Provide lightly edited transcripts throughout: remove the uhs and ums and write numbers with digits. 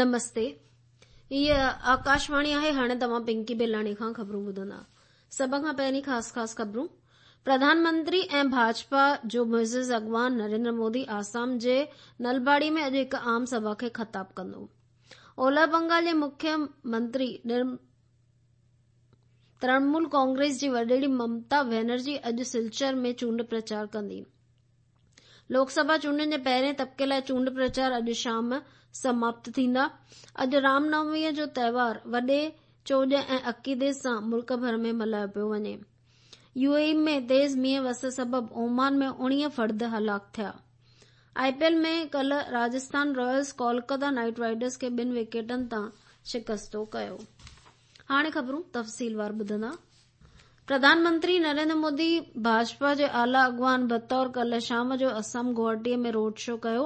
نمستي هيء آڪاشواڻي آهي هاڻي توهان پنڪي بيلاڻي کان خبرون ٻڌندا سڀ کان پهرين خاص خاص خبرون پرڌان منتري ۽ ڀاجپا جو معزز اڳواڻ نريندر مودي آسام جي نلباڙي ۾ اڄ هڪ عام سڀا کي خطاب ڪندو اولهه بنگال جي مکيه منتري ترڻمول ڪانگريس جي وڏيري ممتا بينرجي اڄ سلچر ۾ چونڊ پرچار ڪندي لوڪ سڀا چونڊن جي پهرين طبقي لاء چونڊ پرچار اڄ شام سماپت ٿيندا. اڄ رام نوميء جو تهوار وڏي چوڄ ۽ عقيدي سان ملڪ ڀر ۾ ملهايو پيو وڃي. يو اي اي ۾ تيز مينهن وس سبب اومان ۾ 19 فرد هلاڪ ٿيا. آء پي ايل ۾ ڪلهه Rajasthan Royals Kolkata Knight Riders کي ٻن وڪيٽن تان شڪستو ڪيو. هاڻي خبرون تفصيلوار ٻڌندا. پرڌان منتري نريندر مودي ڀاجپا جي اعليٰ اڳواڻ بطور ڪلهه شام جو اسم گوهاٽي ۾ روڊ شو ڪيو.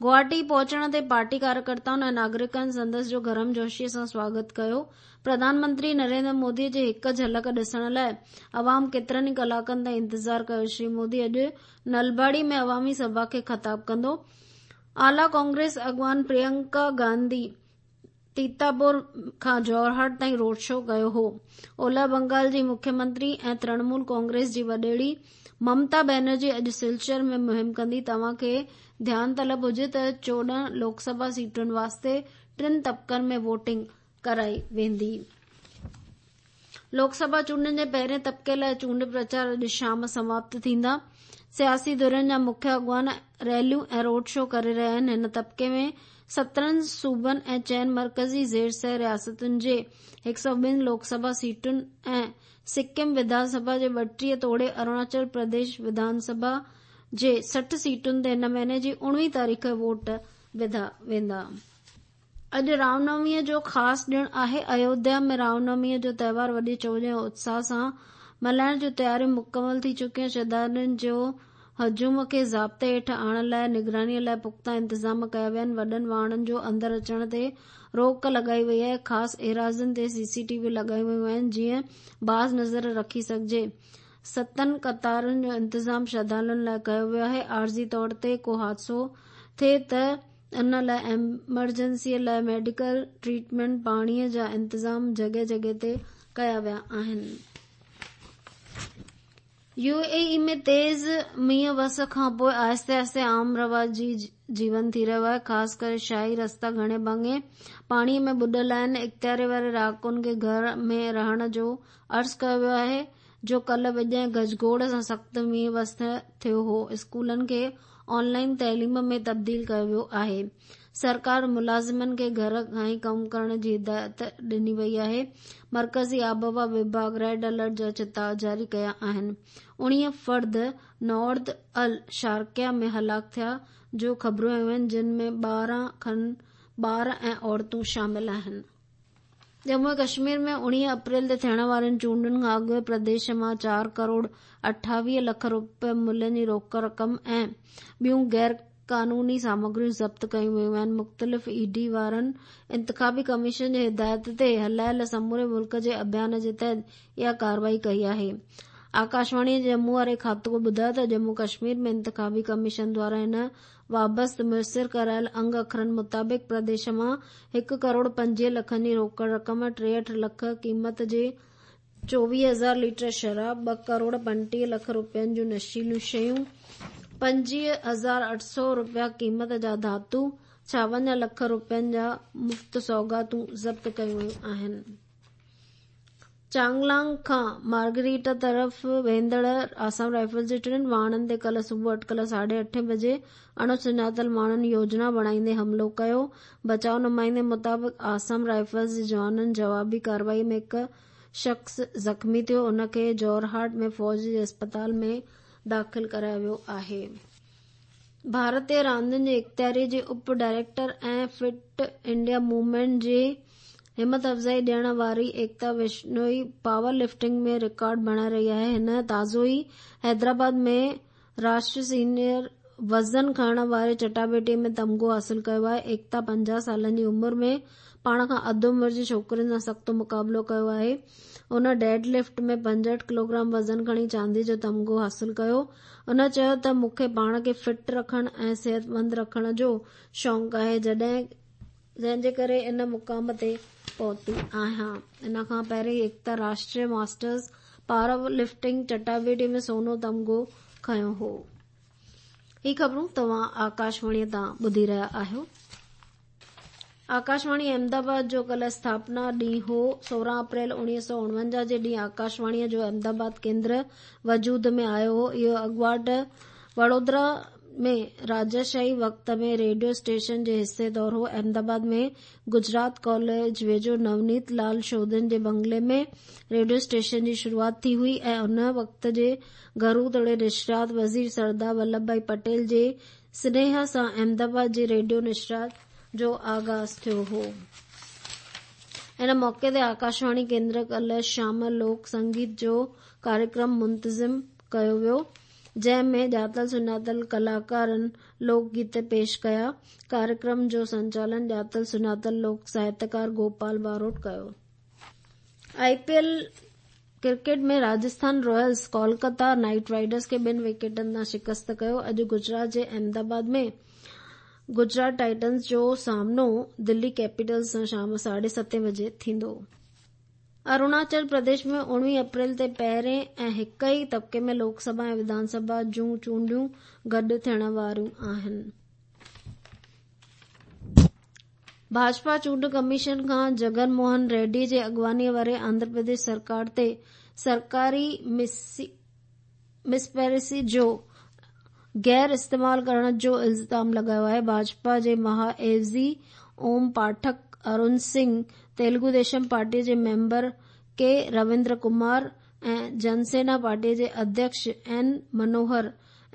گوهاٽي پهچڻ تي پارٽي ڪاريڪرتائن ۽ ناگرڪن سندس جو گرمجوشي سان سواگت ڪيو. پرڌان منتري نريندر مودي جي هڪ جهلڪ ڏسڻ لاء عوام ڪيترن ئي ڪلاڪن تائين انتظار ڪيو. شري مودي اڄ نلباڙي ۾ عوامي سڀا کي خطاب ڪندو. اعليٰ ڪانگريس اڳواڻ پريانڪا گانڌي تيتاپور کان جورهاٽ تائين روڊ شو ڪيو هو. اولهه بنگال جي مکيه منتري ۽ ترڻمول ڪانگريس جي وڏيري ممتا بينرجي اڄ سلچر ۾ مهم ڪندي. توهان کي ڌيان طلب هجي ته 14 لوڪ سڀا سيٽن واسطي ٽن طبقن ۾ ووٽنگ ڪرائي ويندي. لوڪ سڀا چونڊن جي پهرين طبقي لاء چونڊ پرچار اڄ شام سماپت ٿيندا. سياسي ڌرين جا مکيه اڳواڻ ريليون ۽ روڊ شو ڪري رهيا آهن. هن طبقي ۾ 17 صوبن ۽ چئن مرڪزي زير سر رياستن جي 102 لوڪ سڀا سيٽن ۽ سڪم وڌان سڀا جي 32 توڙي اروناچل پرديش وڌان سڀا جي 60 سيٽن تي هن مهيني جي 19 تاريخ ووٽ وڌا ويندا. اڄ رام نوميء جو خاص ڏڻ آهي. ايوڌيا ۾ رام نوميء جو تهوار وڏي چوڄ ۽ اتساهه سان ملهائڻ جون تياريون مڪمل ٿي چڪيون. شرڌالن جو هجوم کي ضابطي هيٺ آڻڻ لاء نگرانيء لاء پختا انتظام ڪيا ويا آهن. وڏن واهڻن جو اندر اچڻ تي روڪ لڳائي وئي آهي. خاص ايراضين تي سي سي ٽي وي لڳايون ويون آهن جيئن باز نظر رکي سگهجي. ستن قطارن جو انتظام شرڌالن لاء ڪيو ويو آهي. عارضي طور تي ڪو حادثو ٿئي ته ان لاء ايمرجنسيء لاء ميڊيڪل ٽريٽمينٽ، پاڻيء جا انتظام جڳهه جڳهه تي ڪيا ويا آهن. يو اي اي ۾ تيز مينهن وس کانپوء آهستي آهستي عام رواجي جيون ٿي رهيو آهي، خاص ڪري شاهي رستا گهڻي ڀاڱي پاڻيء ۾ ٻڏل آهن. اختياري واري رهاڪن کي گهر ۾ رهڻ جو عرض ڪيو ويو آهي، جو ڪلهه وڄ ۽ گجگوڙ سان سخت مينهن وس ٿيو هو. اسڪولن کي آن لائين تعليم ۾ تبديل ڪيو ويو آهي. سرڪار ملازمن کي گهر کان ئي ڪم ڪرڻ جي هدايت ڏني وئي آهي. مرڪزي آبهوا وڀاڳ ريڊ الرٽ جا چتاء جاري ڪيا آهن. 19 فرد نارد الشارقيه ۾ هلاڪ ٿيا جو خبرون آيون آهن جن ۾ 12 کن ٻار ۽ عورتون شامل آهن. ڄمون ۽ ڪشمير ۾ 19 اپريل تي ٿيڻ وارين چونڊن کان اڳ پرديش مان چار ڪروڙ 28 لک روپيه ملهه جي روڪ رقم ۽ ٻيون غير قانوني سامگريون ضبط ڪيون ويون آهن. مختلف اي ڊي وارن انتخابي ڪميشن جي هدايت تي هلايل سموري ملڪ جي اڀيان جي تحت اها ڪارروائي ڪئي آهي. آڪاشواڻي جي ڄمون واري کاتو ٻڌايو ته ڄمون ڪشمير ۾ انتخابي ڪميشن دواران هن وابسته ميسر ڪرايل انگ اکرن مطابق پرديش مان هڪ ڪروڙ 25 لکن جي روڪڙ رقم، 63 لک قيمت جي 24 هزار ليٽر شراب، ٻه ڪروڙ 35 لک روپين جون نشيليون شيون، 25800 روپيا قيمت جا ڌاتو، 56 لک روپين جا مفت سوغاتون ضبط ڪيون ويون آهن. چانگلانگ کان مارگريٽا طرف ويندڙ آسام رائفلز جي ٽن واهڻن تي ڪلهه صبح اٽڪل ساڍي اٺين بجي اڻ سڃاتل ماڻهن يوجنا بڻائيندي حملو ڪيو. بچاء نمائندي مطابق آسام رائفلز جي جوانن جوابي ڪارروائي ۾ هڪ شخص زخمي ٿيو، ان کي جورهاٽ ۾ فوج جي اسپتال ۾ داخل ڪرايو ويو آهي. ڀارتي راندين جي اختياري جي اپ ڊائريڪٽر ۽ فٽ انڊيا موومينٽ جي همت افزائي ڏيڻ واري ايڪتا وشنوئي پاور لفٽنگ ۾ رڪارڊ بڻائي رهي آهي. هن تازو ئي حيدرآباد ۾ راشٽري سينيئر وزن کڻڻ واري چٽاڀيٽي ۾ تمغو حاصل ڪيو آهي. ايڪتا 50 سالن جي عمر ۾ پاڻ کان اڌ عمر جي ڇوڪرين سان سخت مقابلو ڪيو آهي. هن ڊيڊ لفٽ ۾ 65 ڪلوگرام وزن کڻي چاندي جو تمغو حاصل ڪيو. هن چيو ته مون کي پاڻ کي فٽ رکڻ ۽ صحتمند رکڻ جو شوق آهي. جڏهن جنهن جي ڪري ان مقام تي پهتي آهيان. ان کان پهرين ايڪتا راشٽريه ماسٽرز پاور لفٽنگ چٽاڀيٽي ۾ سونو تمغو کنيو هو. هي خبرون توهان آڪاشواڻي تان ٻڌي رهيا آهيو. آڪاشواڻي احمدآباد جو ڪلهه اسٿاپنا ڏينهن هو. 16 اپريل 1949 جي ڏينهن آڪاشواڻيء جو احمدآباد ڪيندر وجود ۾ آيو هو. اهو اڳواٽ وڙودرا ۾ راجاشاهي وقت ۾ ريڊيو اسٽيشن جي حصي طور هو. احمدآباد ۾ گجرات ڪاليج ويجهو نونيت لال شوڌن جي بنگلي ۾ ريڊيو اسٽيشن جي شروعات ٿي هئي ۽ ان وقت جي گهرو توڙي نشريات وزير سردار ولڀ ڀائي پٽيل جي سنيهه سان احمدآباد جي ريڊيو نشريات جو آغاز ٿيو هو. ان موقعي تي آڪاشواڻي ڪيندر ڪلهه شام لوڪ سنگيت جو ڪاريڪرم منتظم ڪيو ويو. جنهن ۾ ڄاتل سڃاتل ڪلاڪارن لوڪ گيت پيش ڪيا. ڪاريڪرم جو سنچالن ڄاتل سڃاتل لوڪ ساهتڪار گوپال باروٽ ڪيو. I P L cricket ۾ Rajasthan Royals Kolkata Knight Riders کي ٻن وڪيٽن تان شڪست ڪيو. اڄ گجرات جي احمدآباد ۾ گجرات ٽائٽنز جو سامنو دلي ڪيپيٽلز سان شام ساڍي ستين بجي ٿيندو. اروناچل پرديش ۾ 19 اپريل تي پهرين ۽ هڪ ئي طبقي ۾ لوڪ سڀا ۽ وڌان سڀا جون چونڊيون گڏ ٿيڻ واريون آهن. ڀاجپا چونڊ ڪميشن کان جگن موهن ريڊي جي اڳواڻيء واري آنڌرا پرديش سرڪار تي سرڪاري مسپرسي جو غير استعمال ڪرڻ جو الزام لڳايو آهي. ڀاجپا جي مها عيوضي اوم پاٺڪ، ارون سنگهه، تيلگو ديشم پارٽيء جي ميمبر ڪي رويندر ڪمار ۽ جنسينا پارٽيء جي اڌيڪش اين منوهر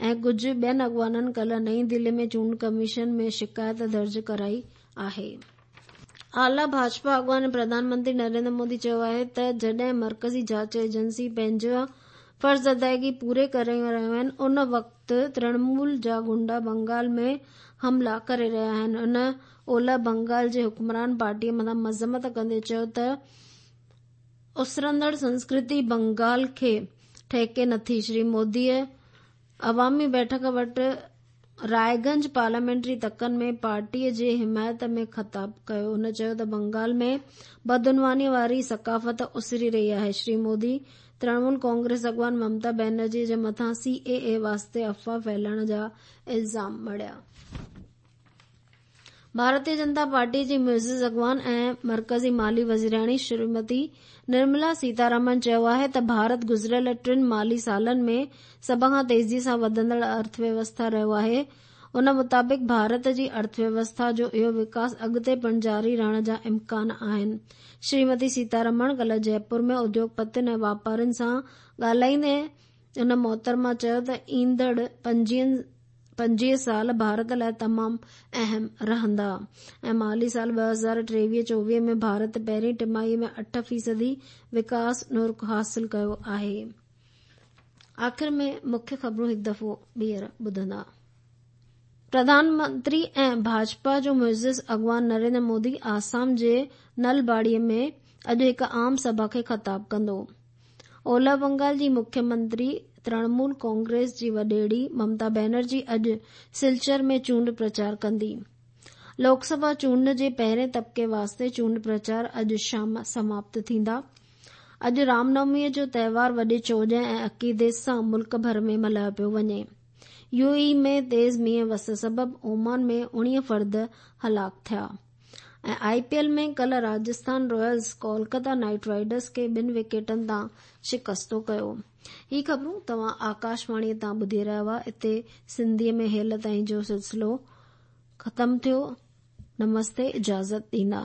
۽ ڪجهه ٻين اڳواڻن ڪلهه نئين دهلي ۾ چونڊ ڪميشن ۾ شڪايت درج ڪرائي آهي. اعليٰ ڀاجپا اڳواڻ ۽ پرڌان منتري نريندر مودي چيو آهي ته جڏهن مرڪزي جاچ ايجنسي پنهنجا فرض ادائيگي پوري ڪري رهيون آهن ان وقت ترڻمول جا غنڊا بنگال ۾ حملا ڪري رهيا آهن. هن اولهه بنگال جي حڪمران پارٽي مٿان مذمت ڪندي چيو ته اسرندڙ سنسڪرتي بنگال کي ٺهڪي نٿي. شري موديء عوامي بيٺڪ وٽ رائيگنج پارليامينٽري تڪن ۾ پارٽيء جي حمايت ۾ خطاب ڪيو. هن چيو ته بنگال ۾ بدعنوانيء واري ثقافت اسري رهي آهي. شري مودي ترڻمول ڪانگريس اڳواڻ ممتا بينرجي جي مٿان سي اي اي واسطي افواهه ڦهلائڻ جا الزام مڙهيا. ڀارتيه جنتا پارٽيء جي معزز اڳواڻ ۽ مرڪزي مالي وزيرياڻي شريمتي نرملا سيتارامن چيو آهي ته ڀارت گذريل ٽن مالي سالن ۾ سڀ کان تيزي سان وڌندڙ ارٿويوسٿا رهيو آهي. ان مطابق ڀارت جي ارٿويوسٿا جو اهو وڪاس اڳتي پڻ جاري رهڻ جا امڪان آهن. شريمتي سيتارامڻ ڪلهه جئپور ۾ اديوگپتين ۽ واپارين سان ڳالهائيندي ان محترمه چيو ته ايندڙ 25 سال ڀارت لاء تمام اهم رهندا ۽ مالي سال 2023-24 ۾ ڀارت پهرين ٽماهي ۾ اٺ فيصدي وڪاس نرخ حاصل ڪيو آهي. آخر ۾ مکيه خبرون هڪ دفعو ٻيهر ٻڌندا. پرڌان منتري ۽ ڀاجپا جو معزز اڳواڻ نريندر مودي آسام جي نلباڙي ۾ اڄ هڪ عام سڀا کي خطاب ڪندو. اولهه بنگال جي مکيه منتري ترڻمول ڪانگريس جي وڏيري ممتا بينرجي اڄ سلچر ۾ چونڊ پرچار ڪندي. لوڪ سڀا چونڊ جي پهرين طبقي واسطي چونڊ پرچار اڄ شام سماپت ٿيندا. اڄ رام نوميء جو تهوار وڏي چوڄ ۽ عقيدي سان ملڪ ڀر ۾ ملهايو پيو وڃي. يو اي اي ۾ تيز مينهن وس سبب اومان ۾ 19 فرد هلاڪ ٿيا. ۽ آء پي ايل ۾ ڪلهه Rajasthan Royals Kolkata Knight Riders کي ٻن وڪيٽن تان شڪستو ڪيو. هي خبرون توهان آڪاشواڻي تان ٻڌي رهيا هئا. اتي سنڌيء ۾ هيل تائين جو سلسلو ختم ٿيو. نمستي اجازت ڏيندا.